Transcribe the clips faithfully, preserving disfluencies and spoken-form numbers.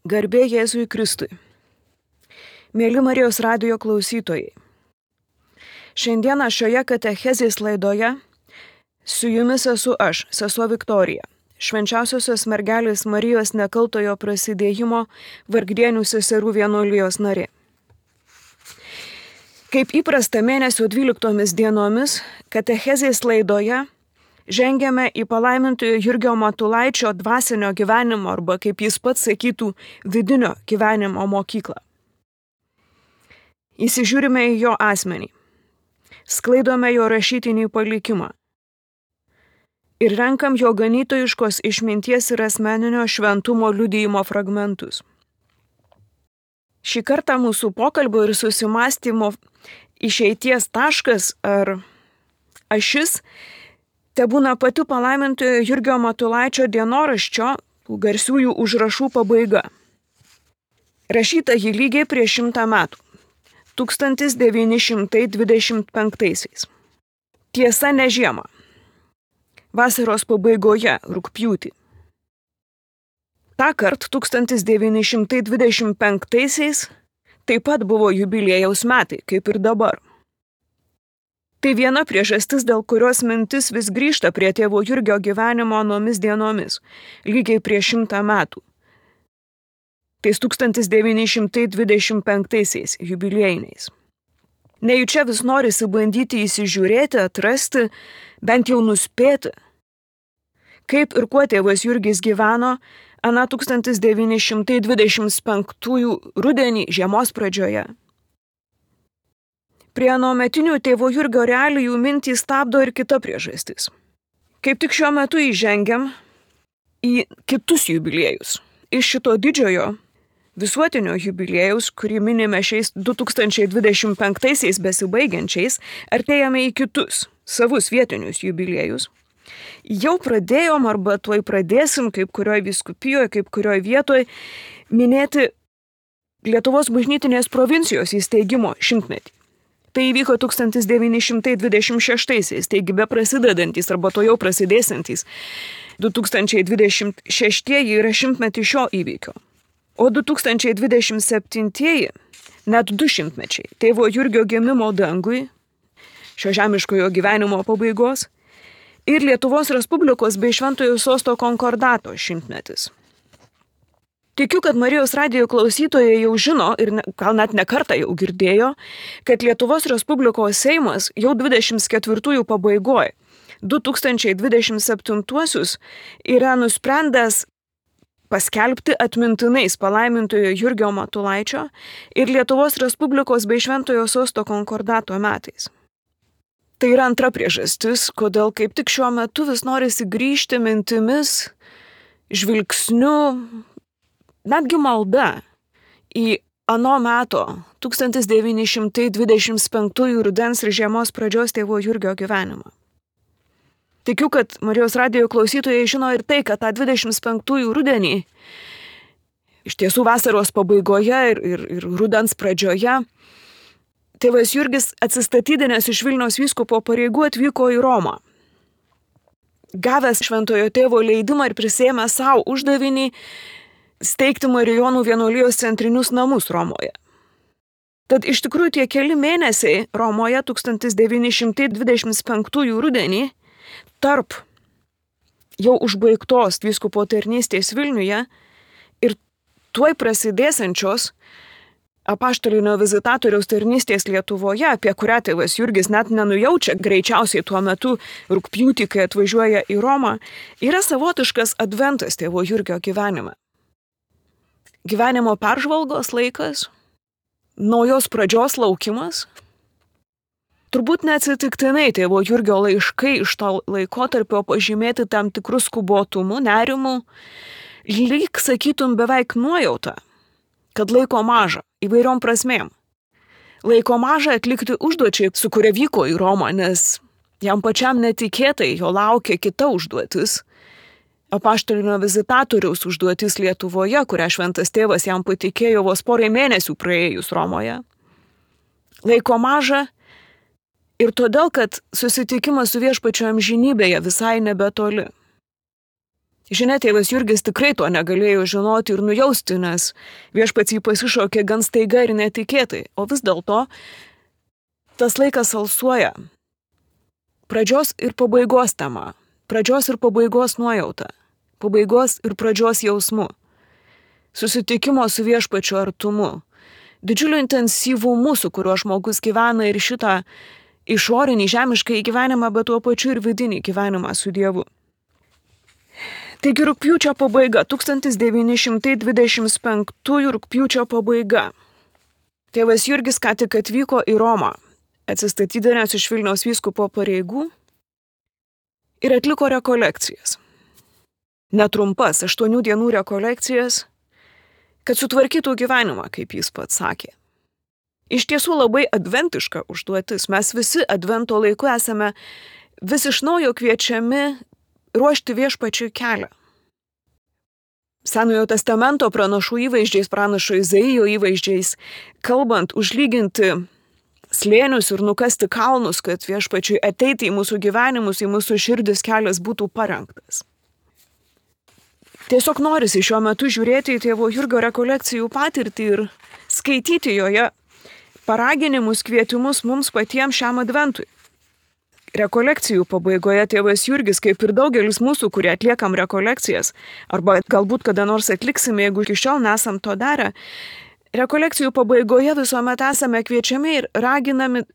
Garbė Jėzui Kristui. Mėly Marijos radijo klausytojai. Šiandieną šioje katechezės laidoje su jumis esu aš, sesuo Viktorija, švenčiausiosios mergelės Marijos nekaltojo prasidėjimo Vargdienių seserų vienuolijos narė. Kaip įprasta mėnesio dvyliktomis dienomis, katechezės laidoje žengiame į palaimintojo Jurgio Matulaičio dvasinio gyvenimo arba, kaip jis pats sakytų, vidinio gyvenimo mokyklą. Įsižiūrime į jo asmenį, sklaidome jo rašytinį palikimą ir renkam jo ganytojiškos išminties ir asmeninio šventumo liudijimo fragmentus. Šį kartą mūsų pokalbio ir susimastymo išeities taškas ar ašis tebūna pati palaimintojo Jurgio Matulaičio dienoraščio garsiųjų užrašų pabaiga. Rašyta jį lygiai prieš šimtą metų, tūkstantis devyni šimtai dvidešimt penktaisiais. Tiesa, ne žiemą, vasaros pabaigoje, rugpjūtį. Tąkart tūkstantis devyni šimtai dvidešimt penktaisiais taip pat buvo jubiliejaus metai, kaip ir dabar. Tai viena priežastis, dėl kurios mintis vis grįžta prie tėvo Jurgio gyvenimo anomis dienomis, lygiai prieš šimtą metų. Tais tūkstantis devyni šimtai dvidešimt penktaisiais jubiliejiniais. Nejučia vis norisi bandyti įsižiūrėti, atrasti, bent jau nuspėti, kaip ir kuo tėvas Jurgis gyveno aną tūkstantis devyni šimtai dvidešimt penktųjų rudenį žiemos pradžioje. Prie anuometinių tėvo Jurgio realijų mintį stabdo ir kita priežastis. Kaip tik šiuo metu įžengiam į kitus jubiliejus. Iš šito didžiojo visuotinio jubiliejaus, kurį minime šiais du tūkstančiai dvidešimt penktaisiais besibaigiančiais, artėjame į kitus, savus vietinius jubiliejus. Jau pradėjom arba tuoj pradėsim, kaip kurioj vyskupijoje, kaip kurioj vietoje, minėti Lietuvos bažnytinės provincijos įsteigimo šimtmetį. Tai įvyko tūkstantis devyni šimtai dvidešimt šeštaisiais, taigi be prasidedantys arba to jau prasidėsiantys du tūkstančiai dvidešimt šeštieji yra šimtmetį šio įvykio. O du tūkstančiai dvidešimt septintieji net du šimtmečiai tėvo Jurgio gimimo dangui, šio žemiškojo gyvenimo pabaigos, ir Lietuvos Respublikos bei Šventojo Sosto konkordato šimtmetis. Tikiu, kad Marijos radijo klausytojai jau žino ir ne, gal net ne kartą jau girdėjo, kad Lietuvos Respublikos Seimas jau dvidešimt ketvirtųjų pabaigoje, du tūkstančiai dvidešimt septintuosius, yra nusprendęs paskelbti atmintinais palaimintojo Jurgio Matulaičio ir Lietuvos Respublikos bei Šventojo Sosto konkordato metais. Tai yra antra priežastis, kodėl kaip tik šiuo metu vis norisi grįžti mintimis, žvilgsniu, netgi malda į ano meto tūkstantis devyni šimtai dvidešimt penktųjų rudens ir žiemos pradžios tėvo Jurgio gyvenimą. Tikiu, kad Marijos radijo klausytojai žino ir tai, kad tą dvidešimt penktųjų rudenį, iš tiesų vasaros pabaigoje ir, ir, ir rudens pradžioje, tėvas Jurgis atsistatydinęs iš Vilniaus vyskupo pareigų atvyko į Romą. Gavęs šventojo tėvo leidimą ir prisėmęs savo uždavinį steigti Marijonų vienuolijos centrinius namus Romoje. Tad iš tikrųjų tie keli mėnesiai Romoje tūkstantis devyni šimtai dvidešimt penktųjų rudenį tarp jau užbaigtos vyskupo tarnystės Vilniuje ir tuoj prasidėsiančios apaštalinio vizitatoriaus tarnystės Lietuvoje, apie kurią tėvas Jurgis net nenujaučia greičiausiai tuo metu rugpjūtį, kai atvažiuoja į Romą, yra savotiškas adventas tėvo Jurgio gyvenime. Gyvenimo peržvalgos laikas, naujos pradžios laukimas. Turbūt neatsitiktinai tėvo Jurgio laiškai iš to laikotarpio pažymėti tam tikrus skubotumu, nerimu, lyg sakytum beveik nuojauta, kad laiko maža įvairiom prasmėm. Laiko maža atlikti užduočiai, su kuria vyko į Romą, nes jam pačiam netikėtai jo laukia kita užduotis. Apaštalinio vizitatoriaus užduotis Lietuvoje, kurią šventas tėvas jam patikėjo vos porai mėnesių praėjus Romoje. Laiko maža ir todėl, kad susitikimas su viešpačiu amžinybėje visai nebetoli. Žinia, tėvas Jurgis tikrai to negalėjo žinoti ir nujausti, nes viešpats jį pasišaukė gan staiga ir netikėtai, o vis dėlto tas laikas alsuoja. Pradžios ir pabaigos tema, pradžios ir pabaigos nuojauta, pabaigos ir pradžios jausmu, susitikimo su viešpačiu artumu, didžiuliu intensyvumu, su kuriuo žmogus gyvena ir šitą išorinį žemišką gyvenimą, bet tuo pačiu ir vidinį gyvenimą su Dievu. Taigi rugpjūčio pabaiga, tūkstantis devyni šimtai dvidešimt penktųjų rugpjūčio pabaiga. Tėvas Jurgis ką tik atvyko į Romą, atsistatydinęs iš Vilniaus vyskupo pareigų ir atliko rekolekcijas. Netrumpas aštuonių dienų rekolekcijas, kad sutvarkytų gyvenimą, kaip jis pats sakė. Iš tiesų labai adventiška užduotis. Mes visi advento laiku esame vis iš naujo kviečiami ruošti viešpačiui kelią. Senojo testamento pranašų įvaizdžiais, pranašo Izaijo įvaizdžiais, kalbant, užlyginti slėnius ir nukasti kalnus, kad viešpačiui ateiti į mūsų gyvenimus, į mūsų širdis kelias būtų parengtas. Tiesiog norisi šiuo metu žiūrėti į tėvo Jurgio rekolekcijų patirtį ir skaityti joje paraginimus, kvietimus mums patiems šiam adventui. Rekolekcijų pabaigoje tėvas Jurgis, kaip ir daugelis mūsų, kurie atliekam rekolekcijas, arba galbūt kada nors atliksime, jeigu iki šiol nesam to darę, rekolekcijų pabaigoje visuomet esame kviečiami ir raginami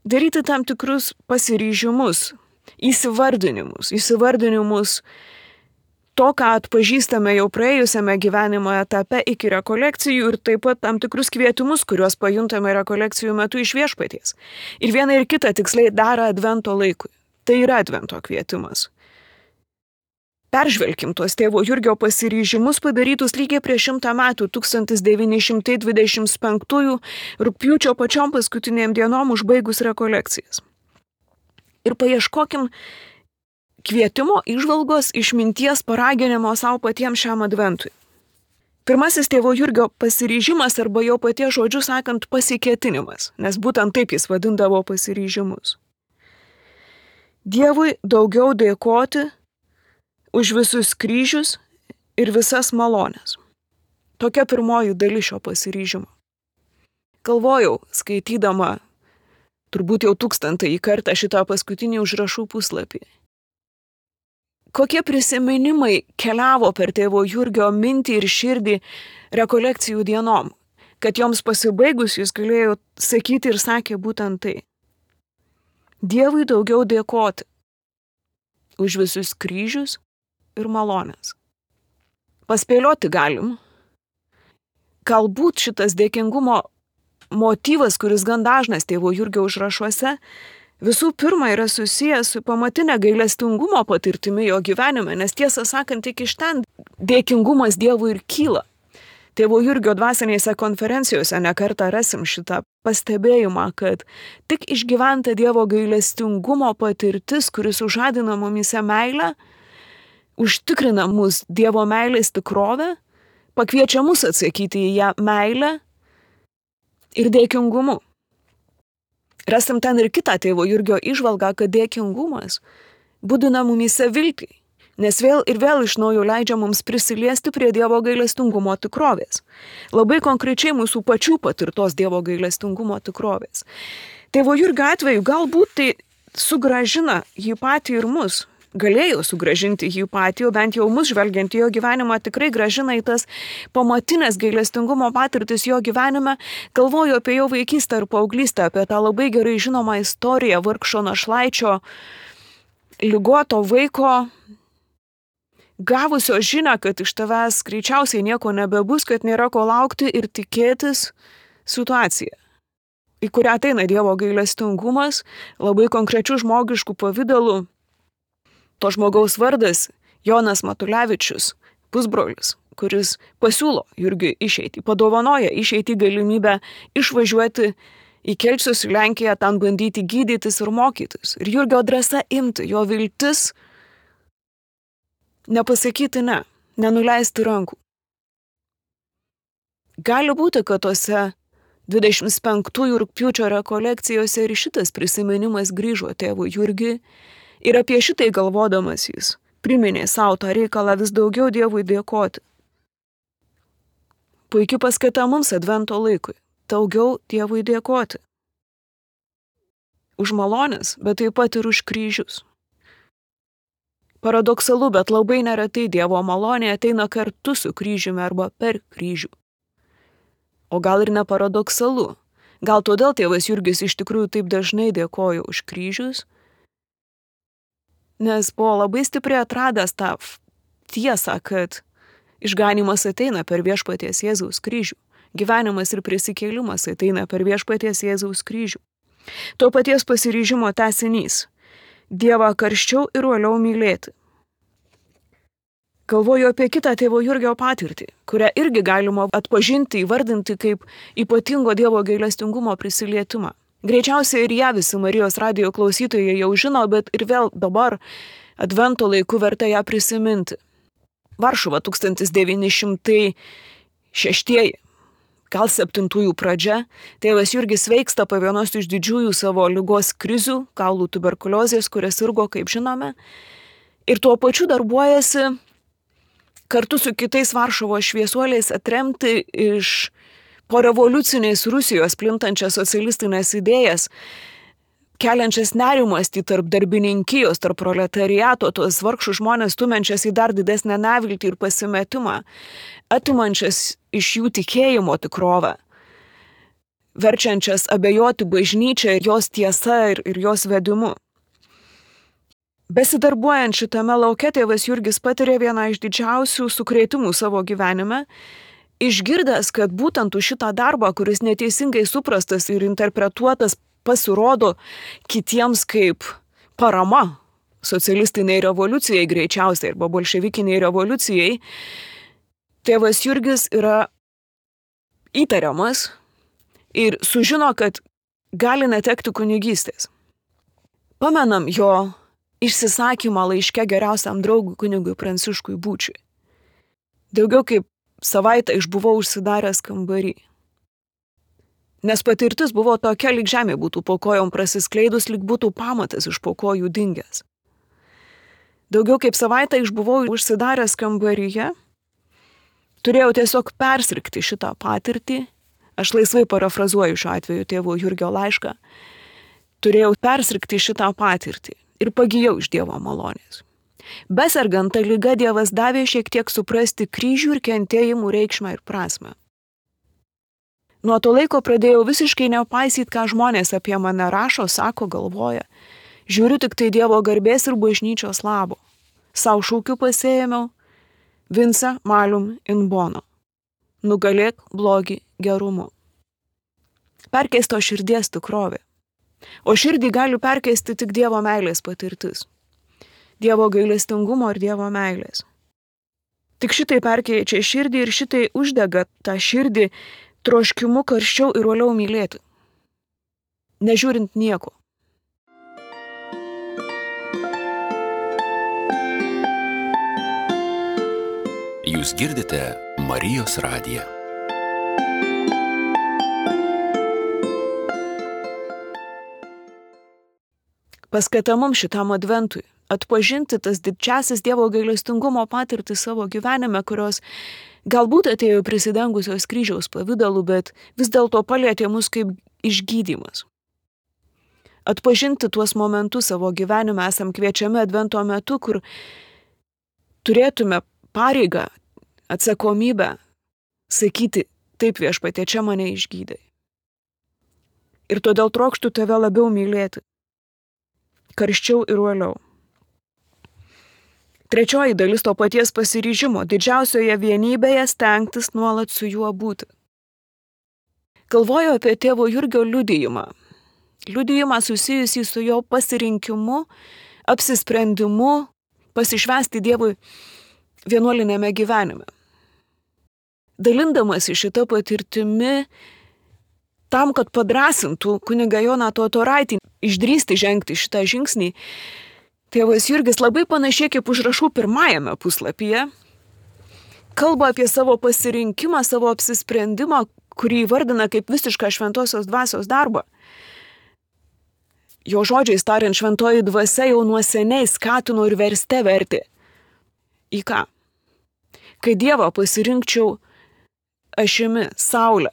daryti tam tikrus pasiryžimus, įsivardinimus, įsivardinimus to, ką atpažįstame jau praėjusiame gyvenimo etape iki rekolekcijų ir taip pat tam tikrus kvietimus, kuriuos pajuntame rekolekcijų metu iš viešpaties. Ir viena ir kita tiksliai daro advento laikui. Tai yra advento kvietimas. Peržvelkim tuos tėvo Jurgio pasiryžimus padarytus lygiai prieš šimtą metų, tūkstantis devyni šimtai dvidešimt penktųjų rugpjūčio pačiom paskutinėm dienom užbaigus rekolekcijas. Ir paieškokim kvietimo, įžvalgos, išminties, paraginimo savo patiems šiam adventui. Pirmasis tėvo Jurgio pasiryžimas arba jo paties žodžiu sakant pasikėtinimas, nes būtent taip jis vadindavo pasiryžimus. Dievui daugiau dėkoti už visus kryžius ir visas malones. Tokia pirmoji dalis šio pasiryžimo. Galvojau, skaitydama turbūt jau tūkstantąjį kartą šitą paskutinį užrašų puslapį. Kokie prisiminimai keliavo per tėvo Jurgio mintį ir širdį rekolekcijų dienom, kad joms pasibaigus jis galėjo sakyti ir sakė būtent tai. Dievui daugiau dėkoti už visus kryžius ir malones. Paspėlioti galim. Galbūt šitas dėkingumo motyvas, kuris gan dažnas tėvo Jurgio užrašuose, visų pirma yra susijęs su pamatinė gailestingumo patirtimi jo gyvenime, nes tiesą sakant, tik iš ten dėkingumas Dievui ir kyla. Tėvo Jurgio dvasinėse konferencijose nekartą rasim šitą pastebėjimą, kad tik išgyventa Dievo gailestingumo patirtis, kuris užadina mumyse meilę, užtikrina mus Dievo meilės tikrovę, pakviečia mus atsakyti į ją meilę ir dėkingumu. Rasim ten ir kitą tėvo Jurgio įžvalgą, kad dėkingumas budina mumyse viltį, nes vėl ir vėl iš naujo leidžia mums prisiliesti prie Dievo gailestingumo tikrovės. Labai konkrečiai mūsų pačių patirtos Dievo gailestingumo tikrovės. Tėvo Jurgio atveju galbūt tai sugražina jį patį ir mus. Galėjo sugražinti jį patį, o bent jau mus žvelgiant į jo gyvenimą tikrai gražina į tas pamatinės gailestingumo patirtis jo gyvenime. Galvoju apie jo vaikystę ir paauglystę, apie tą labai gerai žinomą istoriją vargšo našlaičio, ligoto vaiko, gavusio žinią, kad iš tavęs greičiausiai nieko nebebus, kad nėra ko laukti ir tikėtis situaciją, į kurią ateina Dievo gailestingumas, labai konkrečių žmogiškų pavydalų. To žmogaus vardas Jonas Matulevičius, pusbrolis, kuris pasiūlo Jurgiui išeiti, padovanoja išeiti galimybę išvažiuoti į Kelcius į Lenkiją, ten bandyti gydytis ir mokytis. Ir Jurgio drąsa imti, jo viltis nepasakyti ne, nenuleisti rankų. Gali būti, kad tose dvidešimt penktųjų rugpjūčio rekolekcijose ir šitas prisiminimas grįžo tėvui Jurgiui. Ir apie šitai galvodamas jis priminė savo tą reikalą vis daugiau Dievui dėkoti. Puikiai paskata mums advento laikui – daugiau Dievui dėkoti. Už malonės, bet taip pat ir už kryžius. Paradoksalu, bet labai neretai Dievo malonė ateina kartu su kryžiumi arba per kryžių. O gal ir ne paradoksalu. Gal todėl tėvas Jurgis iš tikrųjų taip dažnai dėkojo už kryžius, nes buvo labai stipriai atradęs tą tiesą, kad išganymas ateina per viešpaties Jėzaus kryžių. Gyvenimas ir prisikėlimas ateina per viešpaties Jėzaus kryžių. To paties pasiryžimo tęsinys. Dievą karščiau ir uoliau mylėti. Galvoju apie kitą tėvo Jurgio patirtį, kurią irgi galima atpažinti, įvardinti kaip ypatingo Dievo gailestingumo prisilietimą. Greičiausiai ir ją visi Marijos radijo klausytojai jau žino, bet ir vėl dabar advento laiku verta ją prisiminti. Varšuva tūkstantis devyni šimtai šeštieji, gal septintųjų pradžia, tėvas Jurgis sveiksta po vienos iš didžiųjų savo ligos krizių, kaulų tuberkuliozės, kurias sirgo, kaip žinome, ir tuo pačiu darbuojasi kartu su kitais Varšuvos šviesuoliais atremti iš po revoliucinės Rusijos plintančias socialistinės idėjas, keliančias nerimastį tarp darbininkijos, tarp proletariato, tos vargšų žmonės stumiančias į dar didesnę neviltį ir pasimetimą, atimančias iš jų tikėjimo tikrovę, verčiančias abejoti bažnyčią ir jos tiesa ir, ir jos vedimu. Besidarbuojant šitame lauke, tėvas Jurgis patiria vieną iš didžiausių sukrėtimų savo gyvenime, išgirdęs, kad būtent už šitą darbą, kuris neteisingai suprastas ir interpretuotas, pasirodo kitiems kaip parama socialistiniai revoliucijai greičiausiai arba bolševikiniai revoliucijai, tėvas Jurgis yra įtariamas ir sužino, kad gali netekti kunigystės. Pamenam jo išsisakymą laiške geriausiam draugui kunigui Pranciškui Būčiui. Daugiau kaip savaitę išbuvau užsidaręs kambarį. Nes patirtis buvo tokia, lyg žemė būtų po kojom prasiskleidus, lyg būtų pamatas iš po kojų dingęs. Daugiau kaip savaitę išbuvau užsidaręs kambaryje, turėjau tiesiog persirgti šitą patirtį, aš laisvai parafrazuoju šiuo atveju tėvo Jurgio laišką, turėjau persirgti šitą patirtį ir pagijau iš Dievo malonės. Besergant tą ligą Dievas davė šiek tiek suprasti kryžių ir kentėjimų reikšmę ir prasmę. Nuo to laiko pradėjau visiškai nepaisyti, ką žmonės apie mane rašo, sako, galvoja. Žiūriu tik tai Dievo garbės ir bažnyčios labo. Sau šūkiu pasėjėmiau Vince malum in bono. Nugalėk blogį gerumu. Perkeisto širdies tikrovė. O širdį gali perkeisti tik Dievo meilės patirtis. Dievo gailestingumo ir Dievo meilės. Tik šitai perkeičia širdį ir šitai uždega tą širdį troškimu karščiau ir uoliau mylėti. Nežiūrint nieko. Jūs girdite Marijos radiją. Paskata mums šitam adventui atpažinti tas didžiausias Dievo gailestingumo patirtis savo gyvenime, kurios galbūt atėjo prisidengusios kryžiaus pavidalu, bet vis dėlto palietė mus kaip išgydymas. Atpažinti tuos momentus savo gyvenime esam kviečiami advento metu, kur turėtume pareigą, atsakomybę sakyti, taip viešpatie, čia mane išgydai. Ir todėl trokštu tave labiau mylėti. Karščiau ir uoliau. Trečioji dalis to paties pasiryžimo – didžiausioje vienybėje stengtis nuolat su juo būti. Galvoju apie tėvo Jurgio liudijimą. Liudijimą susijusį su jo pasirinkimu, apsisprendimu pasišvęsti Dievui vienuolinėme gyvenime. Dalindamasi šitą patirtimi, tam, kad padrasintų kunigą Joną Totoraitį išdrįsti žengti šitą žingsnį, tėvas Jurgis labai panašiai kaip užrašų pirmajame puslapyje kalba apie savo pasirinkimą, savo apsisprendimą, kurį įvardina kaip visišką šventosios dvasios darbą. Jo žodžiais tariant, šventoji dvasia jau nuo seniai skatino ir verste vertė Į ką? Kai Dievą pasirinkčiau ašimi, saulę,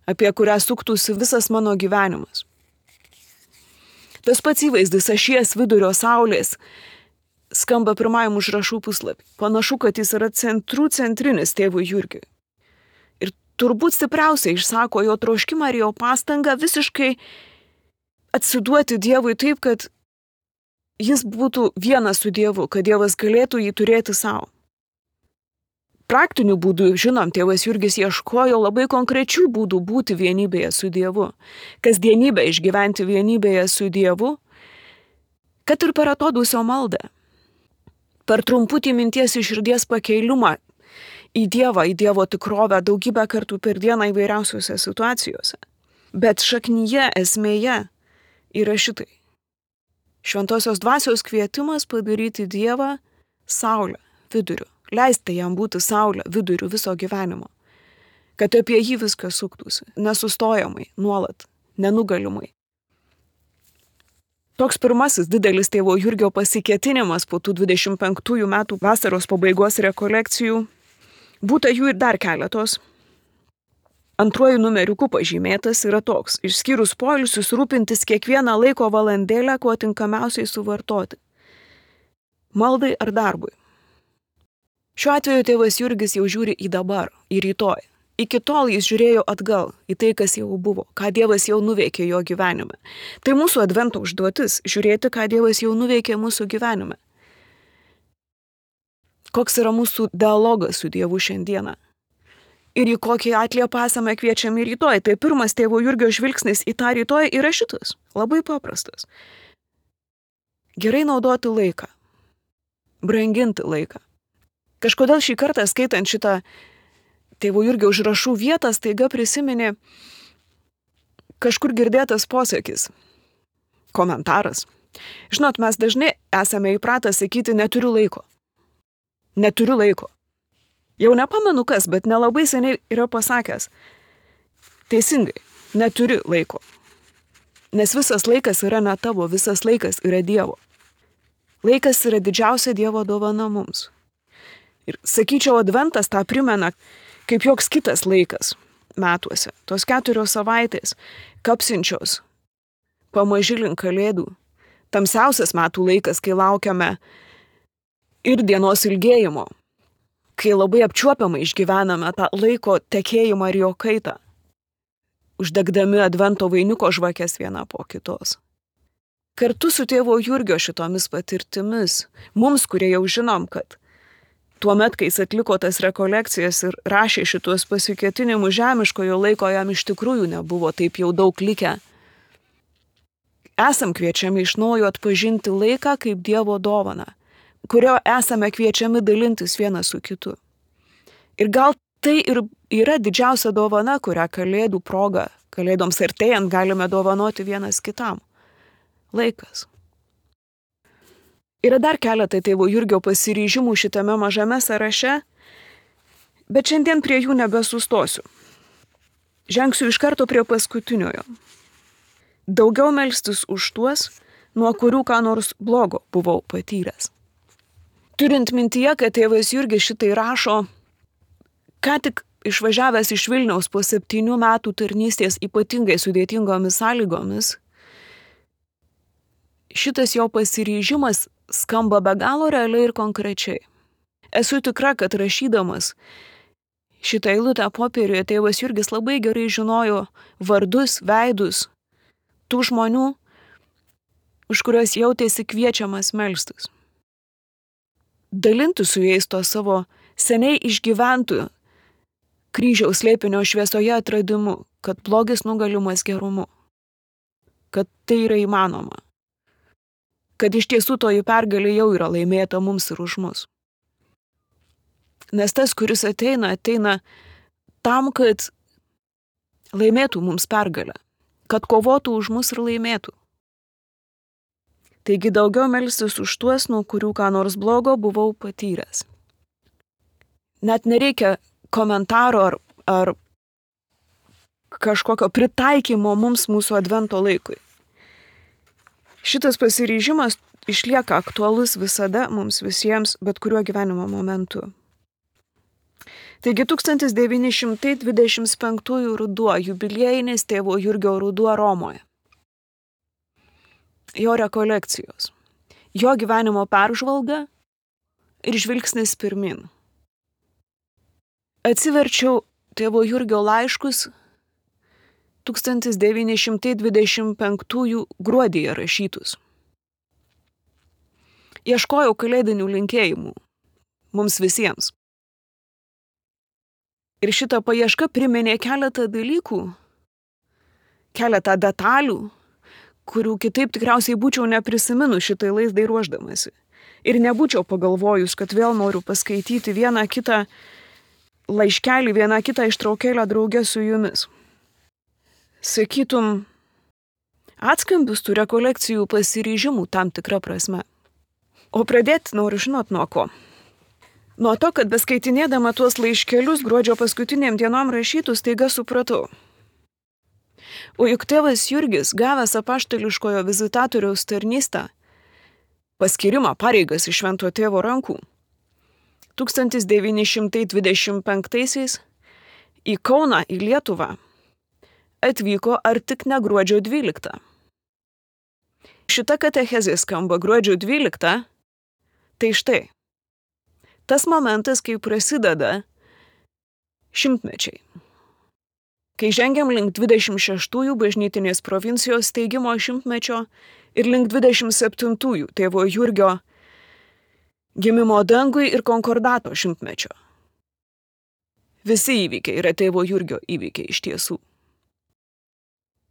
apie kurią suktųsi visas mano gyvenimas. Tas pats įvaizdis ašies vidurio saulės skamba pirmajam užrašų puslapį. Panašu, kad jis yra centrų centrinis tėvui Jurgiui. Ir turbūt stipriausiai išsako jo troškimą ir jo pastangą visiškai atsiduoti Dievui taip, kad jis būtų vienas su Dievu, kad Dievas galėtų jį turėti savo. Praktinių būdų, žinom, tėvas Jurgis ieškojo labai konkrečių būdų būti vienybėje su Dievu, kasdienybę išgyventi vienybėje su Dievu, kad ir per atodūsio maldą, per trumputį minties iš širdies pakeilumą į Dievą, į Dievo tikrovę daugybę kartų per dieną įvairiausiose situacijose. Bet šaknyje, esmėje yra šitai. Šventosios dvasios kvietimas padaryti Dievą saulę, viduriu. Leisti jam būti saulė viduriu viso gyvenimo. Kad apie jį viskas suktųsi, nesustojamai, nuolat, nenugalimai. Toks pirmasis didelis tėvo Jurgio pasikėtinimas po tų dvidešimt penktųjų metų vasaros pabaigos rekolekcijų. Būta jų ir dar keletos. Antruoju numeriuku pažymėtas yra toks, išskyrus poilsius rūpintis kiekvieną laiko valandėlę, kuo tinkamiausiai suvartoti. Maldai ar darbui. Šiuo atveju tėvas Jurgis jau žiūri į dabar, į rytoj. Iki tol jis žiūrėjo atgal, į tai, kas jau buvo, ką Dievas jau nuveikė jo gyvenime. Tai mūsų advento užduotis - žiūrėti, ką Dievas jau nuveikė mūsų gyvenime. Koks yra mūsų dialogas su Dievu šiandieną. Ir į kokį atliepą esame kviečiami rytoj. Tai pirmas tėvo Jurgio žvilgsnis į tą rytoj yra šitas. Labai paprastas. Gerai naudoti laiką. Branginti laiką. Kažkodėl šį kartą skaitant šitą tėvo Jurgio užrašų vietą, staiga prisiminė kažkur girdėtas posakis, komentaras. Žinot, mes dažnai esame įpratę sakyti neturiu laiko. Neturiu laiko. Jau nepamenu kas, bet nelabai seniai yra pasakęs. Teisingai, neturi laiko. Nes visas laikas yra ne tavo, visas laikas yra Dievo. Laikas yra didžiausia Dievo dovana mums. Ir sakyčiau, adventas tą primena kaip joks kitas laikas metuose. Tos keturios savaitės, kapsinčios, pamaži link kalėdų. Tamsiausias metų laikas, kai laukiame ir dienos ilgėjimo, kai labai apčiuopiamai išgyvename tą laiko tekėjimą ir jo kaitą, uždegdami advento vainiuko žvakes vieną po kitos. Kartu su tėvo Jurgio šitomis patirtimis, mums, kurie jau žinom, kad tuomet, kai jis atliko tas rekolekcijas ir rašė šitos pasikėtinimus, žemiškojo laiko jam iš tikrųjų nebuvo taip jau daug likę. Esam kviečiami iš naujo atpažinti laiką kaip Dievo dovaną, kurio esame kviečiami dalintis vienas su kitu. Ir gal tai ir yra didžiausia dovana, kurią kalėdų proga, kalėdoms artėjant galime dovanoti vienas kitam. Laikas. Yra dar keletą tėvo Jurgio pasiryžimų šitame mažame sąraše, bet šiandien prie jų nebesustosiu. Žengsiu iš karto prie paskutiniojo. Daugiau melstis už tuos, nuo kurių ką nors blogo buvau patyręs. Turint mintyje, kad tėvas Jurgis šitai rašo, ką tik išvažiavęs iš Vilniaus po septynių metų tarnystės ypatingai sudėtingomis sąlygomis, šitas jo pasiryžimas skamba be galo realiai ir konkrečiai. Esu tikra, kad rašydamas šitą eilutę popieriuje tėvas Jurgis labai gerai žinojo vardus, veidus tų žmonių, už kuriuos jautėsi kviečiamas melstis. Dalinti su jais to savo seniai išgyventų kryžiaus slėpinio šviesoje atradimu, kad blogis nugalimas gerumu, kad tai yra įmanoma. Kad iš tiesų toji pergalė jau yra laimėta mums ir už mus. Nes tas, kuris ateina, ateina tam, kad laimėtų mums pergalę, kad kovotų už mus ir laimėtų. Taigi daugiau melstis už tuos, nuo kurių ką nors blogo buvau patyręs. Net nereikia komentaro ar, ar kažkokio pritaikymo mums mūsų advento laikui. Šitas pasiryžimas išlieka aktualus visada mums visiems, bet kuriuo gyvenimo momentu. Taigi tūkstantis devyni šimtai dvidešimt penktųjų ruduo, jubiliejinis tėvo Jurgio ruduo Romoje. Jo rekolekcijos, jo gyvenimo peržvalga ir žvilgsnis pirmin. Atsiverčiau tėvo Jurgio laiškus tūkstantis devyni šimtai dvidešimt penktųjų gruodyje rašytus. Ieškojau kalėdinių linkėjimų mums visiems. Ir šita paieška priminė keletą dalykų, keletą detalių, kurių kitaip tikriausiai būčiau neprisiminus šitai laizdai ruošdamasi. Ir nebūčiau pagalvojus, kad vėl noriu paskaityti vieną kitą laiškelį, vieną kitą ištraukėlę draugę su jumis. Sakytum, atskambis tų rekolekcijų pasiryžimų tam tikrą prasme. O pradėti noriu žinot nuo ko. Nuo to, kad beskaitinėdama tuos laiškelius gruodžio paskutiniam dienom rašytus, taiga supratau. O juk tėvas Jurgis, gavęs apaštališkojo vizitatoriaus tarnystę, paskyrimą pareigas iš švento tėvo rankų, tūkstantis devyni šimtai dvidešimt penktaisiais į Kauną, į Lietuvą, atvyko ar tik ne gruodžio dvyliktą. Šita katechezė skamba gruodžio dvyliktą, tai štai. Tas momentas, kai prasideda šimtmečiai. Kai žengiam link dvidešimt šeštųjų bažnytinės provincijos steigimo šimtmečio ir link dvidešimt septintųjų tėvo Jurgio gimimo dangui ir konkordato šimtmečio. Visi įvykiai yra tėvo Jurgio įvykiai iš tiesų.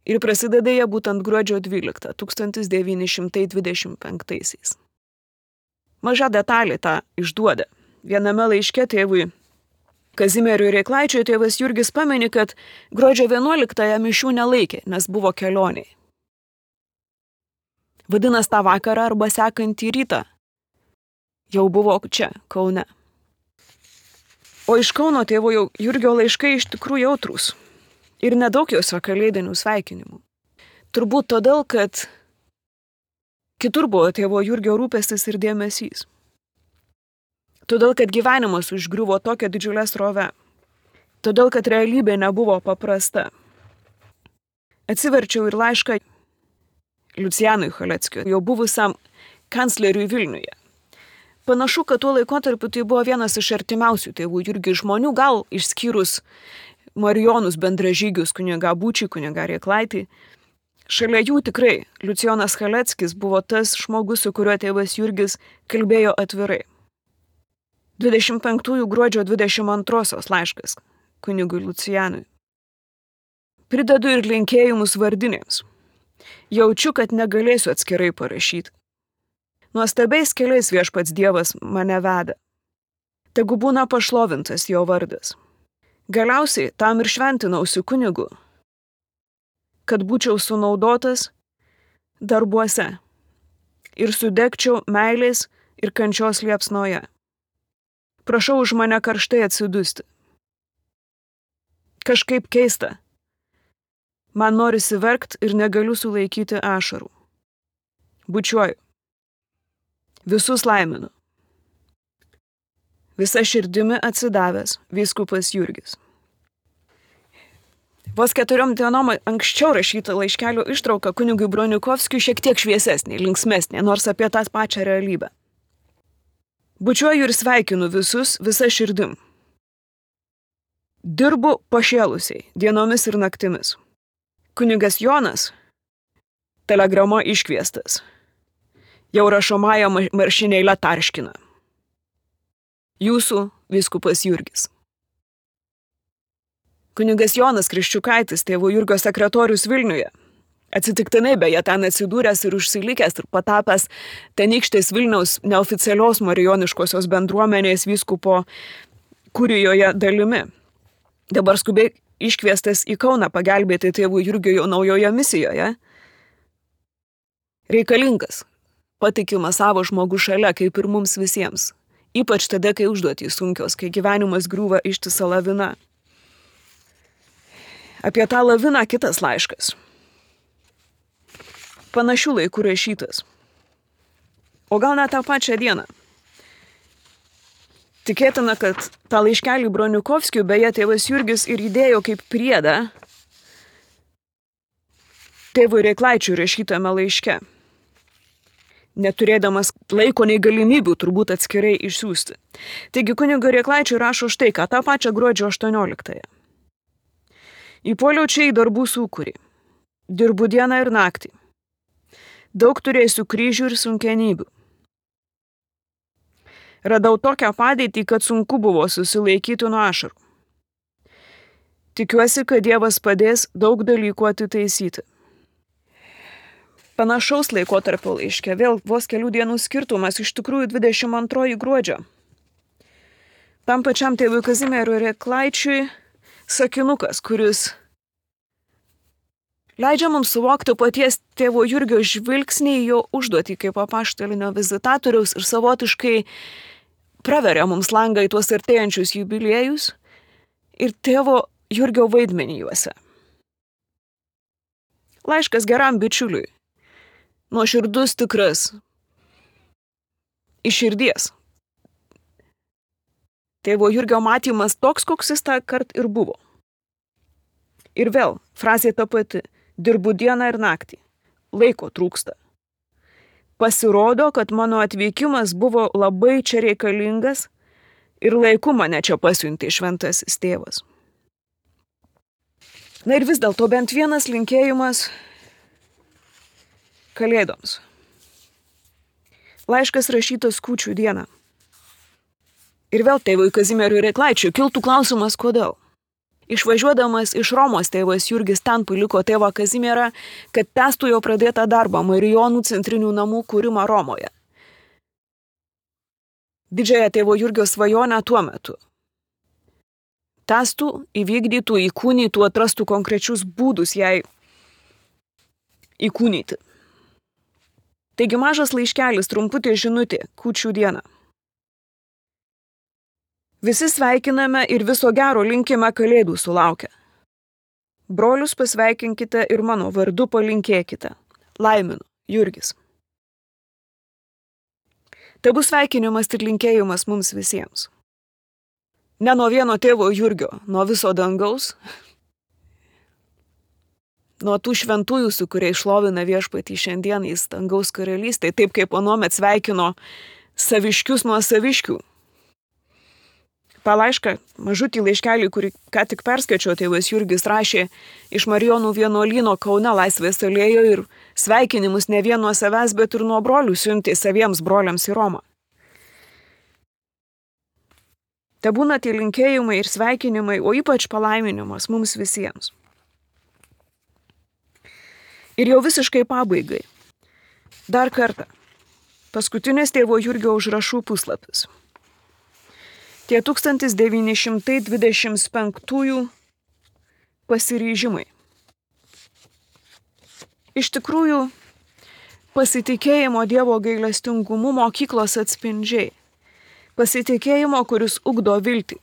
Ir prasideda jie būtent gruodžio dvyliktą, tūkstantis devyni šimtai dvidešimt penktaisiais. Maža detalė tą išduoda. Viename laiške tėvui Kazimieriui Reiklaičiui tėvas Jurgis pameni, kad gruodžio vienuoliktąją mišių nelaikė, nes buvo kelioniai. Vadinasi, tą vakarą arba sekantį rytą jau buvo čia, Kaune. O iš Kauno tėvo Jurgio laiškai iš tikrųjų jautrūs ir nedaug juose kalėdinių sveikinimų. Turbūt todėl, kad kitur buvo tėvo Jurgio rūpestis ir dėmesys. Todėl, kad gyvenimas užgriuvo tokią didžiulę srovę. Todėl, kad realybė nebuvo paprasta. Atsiverčiau ir laišką Liucijanui Chaleckiui, jau buvusiam kancleriui Vilniuje. Panašu, kad tuo laikotarpiu tai buvo vienas iš artimiausių tėvų Jurgio žmonių, gal išskyrus Marijonus bendražygius kunigą Būčį, kunigą Reiklaitį. Šalia jų tikrai Liucijonas Chaleckis buvo tas žmogus, su kuriuo tėvas Jurgis kalbėjo atvirai. dvidešimt penktųjų gruodžio dvidešimt antrosios laiškas kunigui Liucijanui. Pridedu ir linkėjimus vardinėms. Jaučiu, kad negalėsiu atskirai parašyti. Nuostabiais keliais viešpats Dievas mane veda. Tegu būna pašlovintas jo vardas. Galiausiai tam ir šventinausi kunigu, kad būčiau sunaudotas darbuose ir sudegčiau meilės ir kančios liepsnoje. Prašau už mane karštai atsidusti. Kažkaip keista. Man norisi verkt ir negaliu sulaikyti ašarų. Bučiuoju. Visus laiminu. Visa širdimi atsidavęs vyskupas Jurgis. Vos keturiom dienom anksčiau rašyta laiškelio ištrauka kunigui Bronikovskiui šiek tiek šviesesnė, linksmesnė, nors apie tą pačią realybę. Bučiuoju ir sveikinu visus visa širdim. Dirbu pašėlusiai, dienomis ir naktimis. Kunigas Jonas, telegrama iškviestas, jau rašomąją maršinėlę tarškina. Jūsų vyskupas Jurgis. Kunigas Jonas Kriščiukaitis, tėvo Jurgio sekretorius Vilniuje, atsitiktinai beje ten atsidūręs ir užsilikęs ir patapęs tenykštės Vilniaus neoficialios marijoniškosios bendruomenės vyskupo kurijoje dalimi. Dabar skubiai iškviestas į Kauną pagelbėti tėvų Jurgio naujoje misijoje. Reikalingas, patikimas savo žmogus šalia, kaip ir mums visiems. Ypač tada, kai užduotys sunkios, kai gyvenimas griūva ištisa lavina. Apie tą laviną kitas laiškas. Panašių laikų rašytas. O gal net tą pačią dieną. Tikėtina, kad tą laiškelį Broniukovskiui beje tėvas Jurgis ir įdėjo kaip priedą tėvui Reiklaičiui rašytame laiške, neturėdamas laiko nei galimybių turbūt atskirai išsiųsti. Taigi kunigo Reiklaičiui rašo štai ką, tą pačią gruodžio aštuonioliktąją. Įpuoliau čia į darbų sūkurį. Dirbu dieną ir naktį. Daug turėsiu kryžių ir sunkenybių. Radau tokią padėtį, kad sunku buvo susilaikyti nuo ašarų. Tikiuosi, kad Dievas padės daug dalykų atitaisyti. Panašaus laikotarpio laiške, vėl vos kelių dienų skirtumas, iš tikrųjų dvidešimt antroji gruodžio. Tam pačiam tėvui Kazimierui Reiklaičiui sakinukas, kuris leidžia mums suvokti paties tėvo Jurgio žvilgsnį į jo užduotį kaip apaštalinio vizitatoriaus ir savotiškai praveria mums langą į tuos artėjančius jubiliejus ir tėvo Jurgio vaidmenį juose. Laiškas geram bičiuliui. Nuoširdus, tikras. Iš širdies. Tėvo Jurgio matymas toks, koks jis tą kart ir buvo. Ir vėl, frazė ta pati. Dirbu dieną ir naktį. Laiko trūksta. Pasirodo, kad mano atvykimas buvo labai čia reikalingas ir laiku mane čia pasiuntė šventasis tėvas. Na ir vis dėlto bent vienas linkėjimas Kalėdoms. Laiškas rašytas kūčių dieną. Ir vėl tėvui Kazimierui Reiklaičiui kiltų klausimas, kodėl. Išvažiuodamas iš Romos tėvas Jurgis ten paliko tėvą Kazimierą, kad tęstų jo pradėtą darbą Marijonų centrinių namų kūrimą Romoje. Didžiąją tėvo Jurgio svajonę tuo metu. Tęstų, įvykdytų, įkūnytų, atrastų konkrečius būdus jai įkūnyti. Taigi mažas laiškelis, trumputė žinutė, kūčių dieną. Visi sveikiname ir viso gero linkime Kalėdų sulaukę. Brolius pasveikinkite ir mano vardu palinkėkite. Laiminu, Jurgis. Tai bus sveikinimas ir linkėjimas mums visiems. Ne nuo vieno tėvo Jurgio, nuo viso dangaus, nuo tų šventųjų, su kuriais šlovina viešpatį šiandien į dangaus karalystę, taip kaip anuomet sveikino saviškius nuo saviškių. tą laišką, mažutį laiškelį, kurį ką tik perskaičiau, tėvas Jurgis rašė iš Marijonų vienuolyno Kaune Laisvės alėjoje ir sveikinimus ne vien nuo savęs, bet ir nuo brolių siuntė saviems broliams į Romą. Te būna tie linkėjimai ir sveikinimai, o ypač palaiminimas mums visiems. Ir jau visiškai pabaigai. Dar kartą. Paskutinis tėvo Jurgio užrašų puslapis. Tie tūkstantis devyni šimtai dvidešimt penktųjų pasiryžimai. Iš tikrųjų, pasitikėjimo Dievo gailestingumu mokyklos atspindžiai. Pasitikėjimo, kuris ugdo viltį.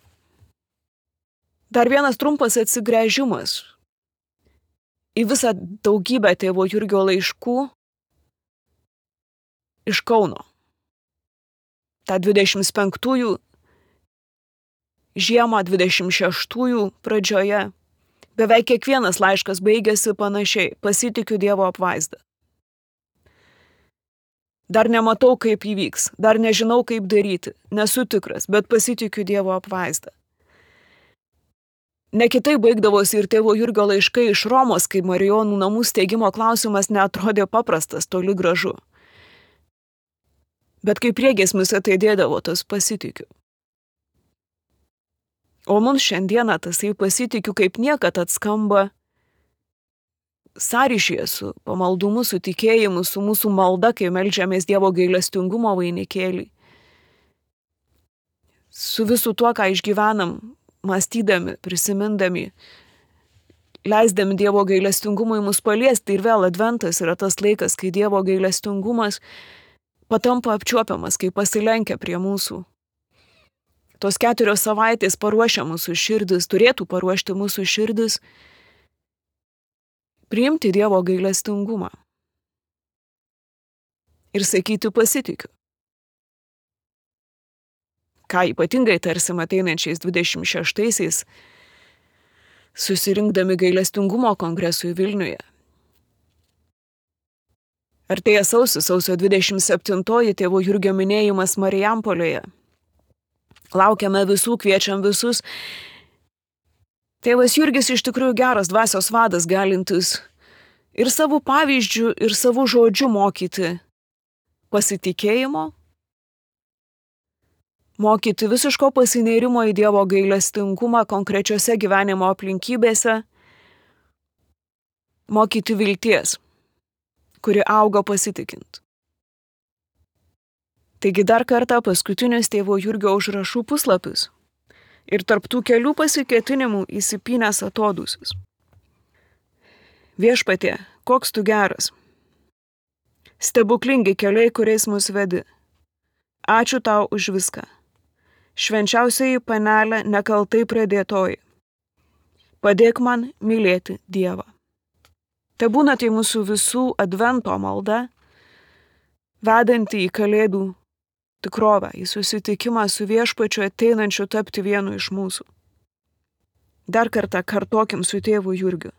Dar vienas trumpas atsigręžimas į visą daugybę tėvo Jurgio laiškų iš Kauno. Ta dvidešimt penktųjų žiemą, dvidešimt šeštųjų pradžioje. Beveik kiekvienas laiškas baigėsi panašiai. Pasitikiu Dievo apvaizdą. Dar nematau, kaip įvyks, dar nežinau, kaip daryti, nesu tikras, bet pasitikiu Dievo apvaizdą. Ne kitaip baigdavosi ir tėvo Jurgio laiškai iš Romos, kai Marijonų namų steigimo klausimas neatrodė paprastas, toli gražu. Bet kai priegiesmis ateidėdavo, tas pasitikiu. O mums šiandieną tasai pasitikiu kaip niekad atskamba sąryšyje su pamaldumu, su tikėjimu, su mūsų malda, kai meldžiamės Dievo gailestingumo vainikėlį. Su visu tuo, ką išgyvenam, mąstydami, prisimindami, leisdami Dievo gailestingumui mus paliesti. Ir vėl adventas yra tas laikas, kai Dievo gailestingumas patampa apčiuopiamas, kai pasilenkia prie mūsų. Tos keturios savaitės paruošia mūsų širdis, turėtų paruošti mūsų širdis, priimti Dievo gailestingumą ir sakyti pasitikiu. ką ypatingai tarsim ateinančiais dvidešimt šeštaisiais, susirinkdami gailestingumo kongresui Vilniuje. Artėja sausis, sausio dvidešimt septintoji tėvo Jurgio minėjimas Marijampolėje. Laukiame visų, kviečiam visus. Tėvas Jurgis iš tikrųjų geras dvasios vadas, galintis ir savų pavyzdžių, ir savų žodžių mokyti pasitikėjimo, mokyti visiško pasinėrimo į Dievo gailestingumą konkrečiose gyvenimo aplinkybėse, mokyti vilties, kuri auga pasitikint. Taigi dar kartą paskutinis tėvo Jurgio užrašų puslapis ir tarp tų kelių pasiketinimų įsipynęs atodūsis. Viešpatie, koks tu geras. Stebuklingi keliai, kuriais mus vedi. Ačiū tau už viską. Švenčiausiai panelė nekaltai pradėtoji. Padėk man mylėti Dievą. Tai būna tai mūsų visų advento malda, vedanti į kalėdų tikrovę, į susitikimą su viešpačiu ateinančiu tapti vienu iš mūsų. Dar kartą kartokim su tėvu Jurgiu.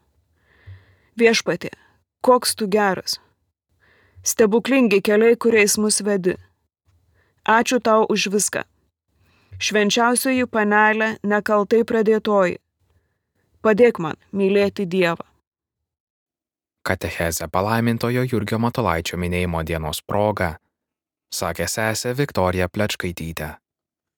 Viešpatie, koks tu geras. Stebuklingi keliai, kuriais mus vedi. Ačiū tau už viską. Švenčiausioji panelė nekaltai pradėtoji. Padėk man mylėti Dievą. Katechezę palaimintojo Jurgio Matulaičio minėjimo dienos proga sakė sesė Viktorija Plečkaitytė.